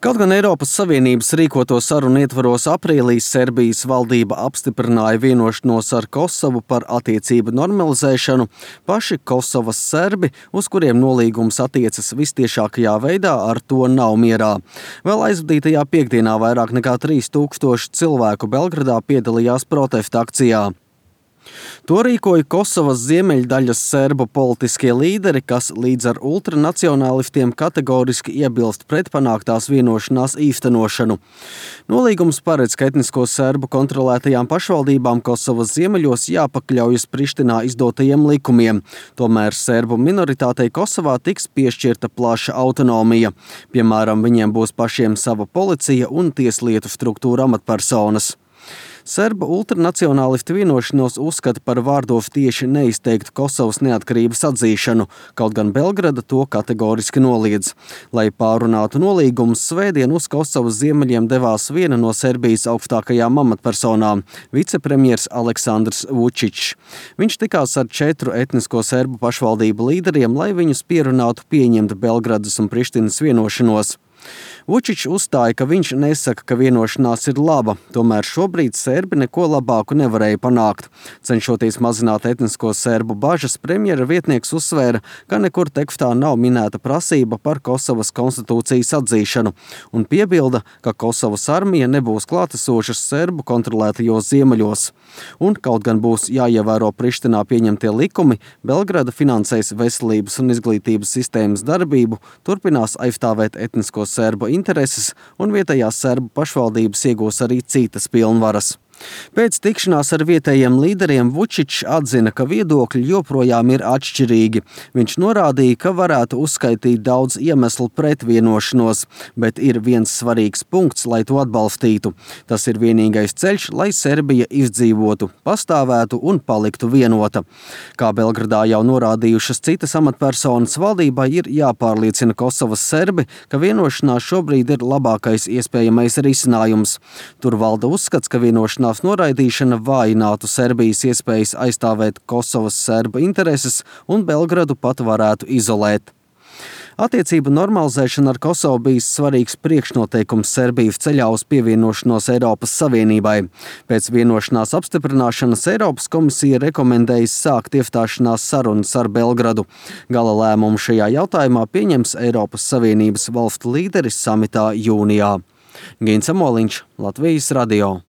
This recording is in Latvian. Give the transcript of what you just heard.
Kaut gan Eiropas Savienības rīkoto sarunu ietvaros aprīlī Serbijas valdība apstiprināja vienošanos ar Kosovu par attiecību normalizēšanu, paši Kosovas serbi, uz kuriem nolīgums attiecas vistiešākajā veidā, ar to nav mierā. Vēl aizvadītajā piekdienā vairāk nekā 3000 cilvēku Belgradā piedalījās protesta akcijā. To rīkoja Kosovas ziemeļdaļas serbu politiskie līderi, kas līdz ar ultranacionālistiem kategoriski iebilst pret panāktās vienošanās īstenošanu. Nolīgums paredz, ka etnisko serbu kontrolētajām pašvaldībām Kosovas ziemeļos jāpakļaujas Prištinā izdotajiem likumiem. Tomēr serbu minoritātei Kosovā tiks piešķirta plaša autonomija. Piemēram, viņiem būs pašiem sava policija un tieslietu struktūra amatpersonas. Serbu ultranacionālisti vienošanos uzskata par vārdos tieši neizteiktu Kosovas neatkarības atzīšanu, kaut gan Belgrada to kategoriski noliedz. Lai pārunātu nolīgumus, svētdien uz Kosovas ziemeļiem devās viena no Serbijas augstākajām amatpersonām – vicepremjers Aleksandrs Vučičs. Viņš tikās ar 4 etnisko serbu pašvaldību līderiem, lai viņus pierunātu pieņemt Belgradas un Prištinas vienošanos. Vučičs uzstāja, ka viņš nesaka, ka vienošanās ir laba, tomēr šobrīd serbi neko labāku nevarēja panākt. Cenšoties mazināt etnisko serbu bažas, premjera vietnieks uzsvēra, ka nekur tekstā nav minēta prasība par Kosovas konstitūcijas atzīšanu, un piebilda, ka Kosovas armija nebūs klātesošas serbu kontrolētajos ziemeļos. Un kaut gan būs jāievēro Prištinā pieņemtie likumi, Belgrada finansēs veselības un izglītības sistēmas darbību, turpinās aizstāvēt etnisko serbu intereses un vietējās serbu pašvaldības iegūs arī citas pilnvaras. Pēc tikšanās ar vietējiem līderiem Vučičs atzina, ka viedokļi joprojām ir atšķirīgi. Viņš norādīja, ka varētu uzskaitīt daudz iemeslu pret vienošanos, bet ir viens svarīgs punkts, lai to atbalstītu. Tas ir vienīgais ceļš, lai Serbija izdzīvotu, pastāvētu un paliktu vienota. Kā Belgradā jau norādījušas citas amatpersonas, valdībai ir jāpārliecina Kosovas serbi, ka vienošanās šobrīd ir labākais iespējamais risinājums. Tur valda uzskats, ka vienošanās noraidīšana vājinātu Serbijas iespējas aizstāvēt Kosovas serbu intereses un Belgradu pat varētu izolēt. Attiecību normalizēšana ar Kosovu bijis svarīgs priekšnoteikums Serbijas ceļā uz pievienošanos Eiropas Savienībai. Pēc vienošanās apstiprināšanas Eiropas komisija rekomendējas sākt iestāšanās sarunas ar Belgradu. Gala lēmumu šajā jautājumā pieņems Eiropas Savienības valstu līderis samitā jūnijā. Gins Amoliņš, Latvijas radio.